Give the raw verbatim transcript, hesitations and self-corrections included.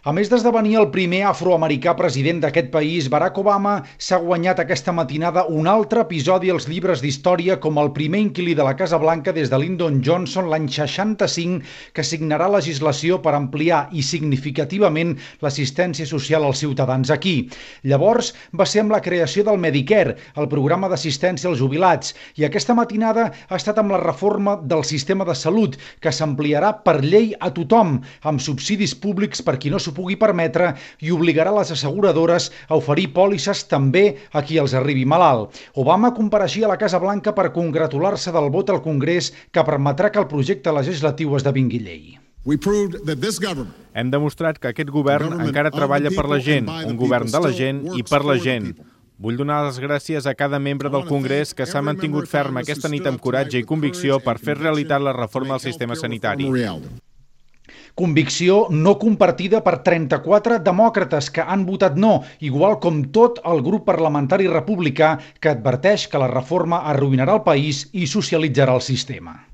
A més d'esdevenir el primer afroamericà president d'aquest país, Barack Obama s'ha guanyat aquesta matinada un altre episodi als llibres d'història com el primer inquilí de la Casa Blanca des de Lyndon Johnson l'any seixanta-cinc, que signarà legislació per ampliar i significativament l'assistència social als ciutadans aquí. Llavors va ser amb la creació del Medicare, el programa d'assistència als jubilats, i aquesta matinada ha estat amb la reforma del sistema de salut, que s'ampliarà per llei a tothom, amb subsidis públics per qui no s'ho pugui permetre i obligarà les asseguradores a oferir pòlisses també a qui els arribi malalt. Obama compareixia a la Casa Blanca per congratular-se del vot al Congrés que permetrà que el projecte legislatiu esdevingui llei. Hem demostrat que aquest govern encara treballa per la gent, un govern de la gent i per la gent. Vull donar les gràcies a cada membre del Congrés que s'ha mantingut ferm aquesta nit amb coratge i convicció per fer realitat la reforma del sistema sanitari. Convicció no compartida per trenta-quatre demòcrates que han votat no, igual com tot el grup parlamentari republicà que adverteix que la reforma arruïnarà el país i socialitzarà el sistema.